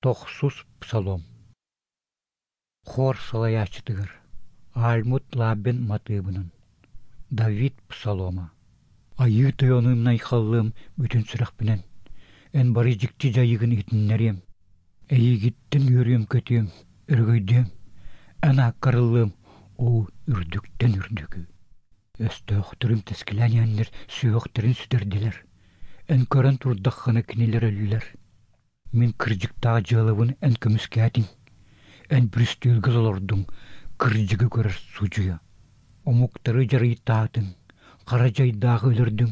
Тохсус псалом. Хор салайааччытыгар Альмут Лаббин матыыбынан. Давид псалома. Айыы Тойонум айхаллыам бүтүн сүрэхпинэн, эн бары дьикти дьайыыгын иһитиннэриэм. Эйигиттэн үөрүөм-көтүөм, өрөгөйдүөм, эн ааккар ыллыам, оо, үрдүктэн үрдүкү. Өстөөхтөрүм тэскилээн иһэннэр сүһүөхтэрин сүтэрдилэр. Эн көрөн турдаххына кинилэр өллүлэр. Мин кырдьыктаах дьыалабын эн көмүскээтиҥ, эн бүрүстүөлгэ толордуҥ, кырдьыгы көрөр судьуйа. Омуктары дьарыйтаатыҥ, хара дьайдааҕы өлөрдүҥ,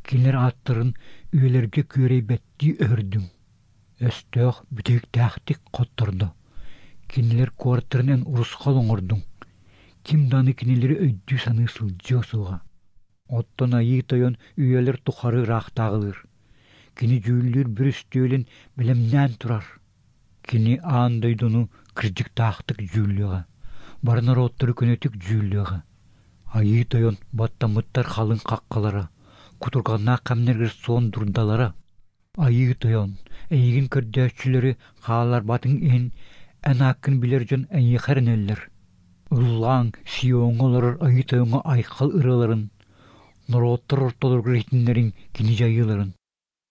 кинилэр ааттарын үйэлэргэ күөрэйбэттии өһөрдүҥ. Өстөөх бүтэһиктээхтик хоттордо, кинилэр куораттарын эн урусхал оҥордуҥ, ким даҕаны кинилэри өйдүү-саныы сылдьыа суоҕа. Оттон Айыы Тойон үйэлэр тухары ыраахтааҕылыыр, кини дьүүллүүр бүрүстүөлүн бэлэмнээн турар. Кини аан дойдуну кырдьыктаахтык дьүүллүөҕэ, бары норуоттары көнөтүк дьүүллүөҕэ. Айыы Тойон баттаммыттар халыҥ хаххалара, кутурҕаннаах кэмнэригэр суон дурдалара. Айыы Тойон, эйигин көрдөөччүлэри хаалларбатыҥ иһин эн ааккын билэр дьон эйиэхэ эрэнэллэр. Ыллааҥ, Сиоҥҥа олорор Айыы Тойоҥҥо айхал ырыаларын, норуоттар ортолоругар иһитиннэриҥ кини дьайыыларын.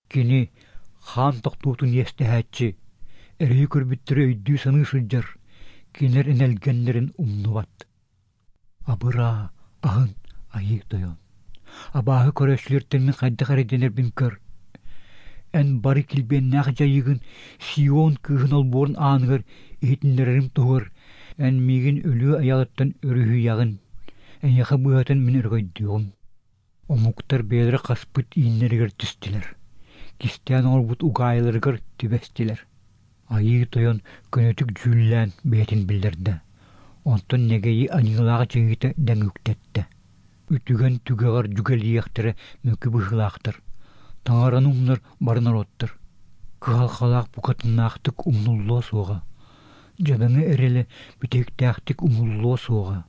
Кини хаан тохтуутун иэстэһээччи, эрэйи көрбүттэри өйдүү-саныы сылдьар, кинилэр энэлгэннэрин умнубат. Абыраа, аһын, Айыы Тойон. Абааһы көрөөччүлэртэн мин хайдах эрэйдэнэрбин көр. Эн бары килбиэннээх дьайыыгын Сион кыыһын олбуорун ааныгар иһитиннэрэрим туһугар эн миигин өлүү айаҕыттан өрүһүйэҕин, эйиэхэ быыһатын мин өрөгөйдүөҕүм. Омуктар бэйэлэрэ хаспыт ииннэригэр түстүлэр, кистээн оҥорбут угаайыларыгар түбэстилэр. Айыы Тойон көнөтүк дьүүллээн бэйэтин биллэрдэ, онтон нэгэйи аньыылаах дьайыыта дэҥ үктэттэ. Үтүгэн түгэҕэр дьүгэлийиэхтэрэ мөкү быһыылаахтар, таҥараны умнар бары норуоттар. Кыһалҕалаах букатыннаахтык умнуллуо суоҕа, дьадаҥы эрэлэ бүтэһиктээхтик умуллуо суоҕа.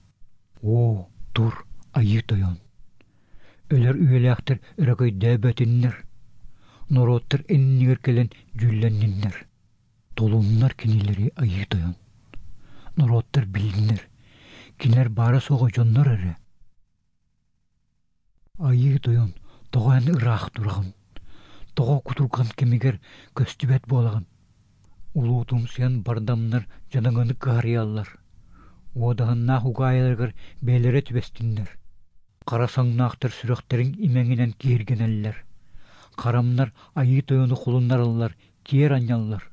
Оо, тур, Айыы Тойон! Өлөр үйэлээхтэр өрөгөйдөөбөтүннэр, норуоттар иннигэр кэлэн дьүүллэнниннэр. Толуннар кинилэри Айыы Тойон. Норуоттар билиннэр, кинилэр баара-суоҕа дьоннор эрэ. Айыы Тойон, тоҕо эн ыраах тураҕын? Тоҕо кутурҕан кэмигэр көстүбэт буолаҕын? Улуутумсуйан бардамнар дьадаҥыны кыһарыйаллар, уодаһыннаах угаайыларыгар бэйэлэрэ түбэстиннэр. Хара саҥнаахтар сүрэхтэрин имэҥинэн киһиргэнэллэр, харамнар Айыы Тойону холуннараллар, киэр анньаллар.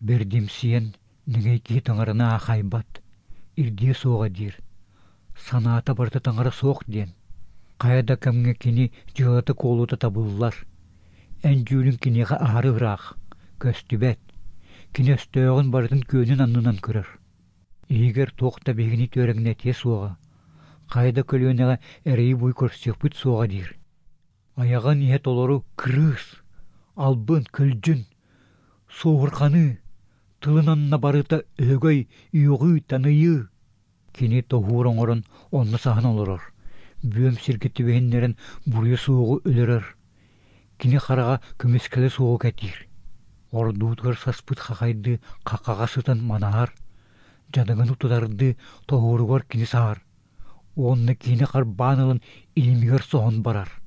Бэрдимсийэн, нэгэй киһи таҥараны аахайбат, ирдиэ суоҕа диир, санаата барыта таҥара суох диэн. Хайа да кэмҥэ кини дьыалата-куолута табыллар, эн дьүүлүҥ киниэхэ аһары ыраах, көстүбэт, кини өстөөҕүн барытын күөнүн аннынан көрөр. Иһигэр туох да биһигини түөрэҥнэтиэ суоҕа, хайа да көлүөнэҕэ эрэйи-буй көрсүөхпүт суоҕа диир. Айаҕын иһэ толору кырыыс, албын, көлдьүн, суоһурҕаныы, тылын анна барыта өһөгөй, үөҕүү, таныйыы. Кини тоһуур оҥорон онно саһан олорор, бүөм сиргэ түбэһиннэрэн буруйа суоҕу өлөрөр. Кини хараҕа көмүскэлэ суоҕу кэтиир. Ордуутугар саспыт хахайдыы хаххаҕа сытан манаһар, дьадаҥыны тутардыы тоһууругар кини саһар уонна киһини харбаан ылан илимигэр соһон барар.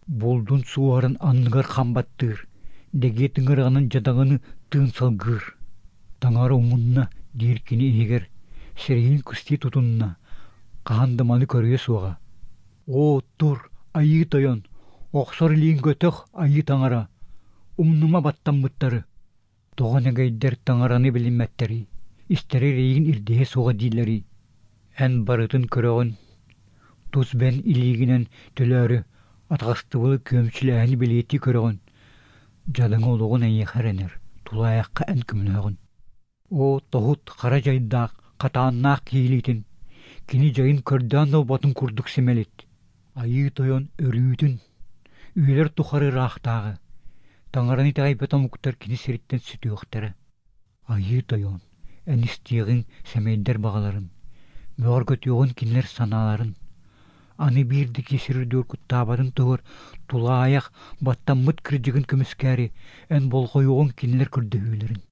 Булдун суоһарын анныгар хам баттыыр, дэгиэ тыҥыраҕынан дьадаҥыны тыын салгыыр. «Таҥара умунна» диир кини иһигэр, сирэйин кыстыы тутунна, хаһан да маны көрүө суоҕа. «Оо, тур, Айыы Тойон, охсор илииҥ көтөх, Айыы Таҥара, умнума баттаммыттары» Тоҕо нэгэйдэр таҥараны билиммэттэрий, истэрэ эрэйигин ирдэһиэ суоҕа дииллэрий? Эн барытын көрөҕүн, тус бэйэҥ илиигинэн төлөөрү, атаҕастыбылы күөмчүлээһини бэлиэтии көрөҕүн, дьадаҥы олоҕун эйиэхэ эрэнэр, тулаайахха эн көмөлөһөҕүн. Оо, тоһут хара дьайдаах, хатааннаах киһи илиитин, кини дьайын көрдөөн да ылбатын курдук симэлит. Айыы Тойон өрүүтүн, үйэлэр тухары ыраахтааҕы, Таҥараны итэҕэйбэт омуктар кини сириттэн сүтүөхтэрэ. Айыы Тойон, эн истиэҕиҥ сэмэйдэр баҕаларын, бөҕөргөтүөҕүн кинилэр санааларын. Аны биир да киһи сир үрдүгэр куттаабатын туһугар тулаайах, баттаммыт кырдьыгын көмүскээри, эн болҕойуоҕуҥ кинилэр көрдөһүүлэрин.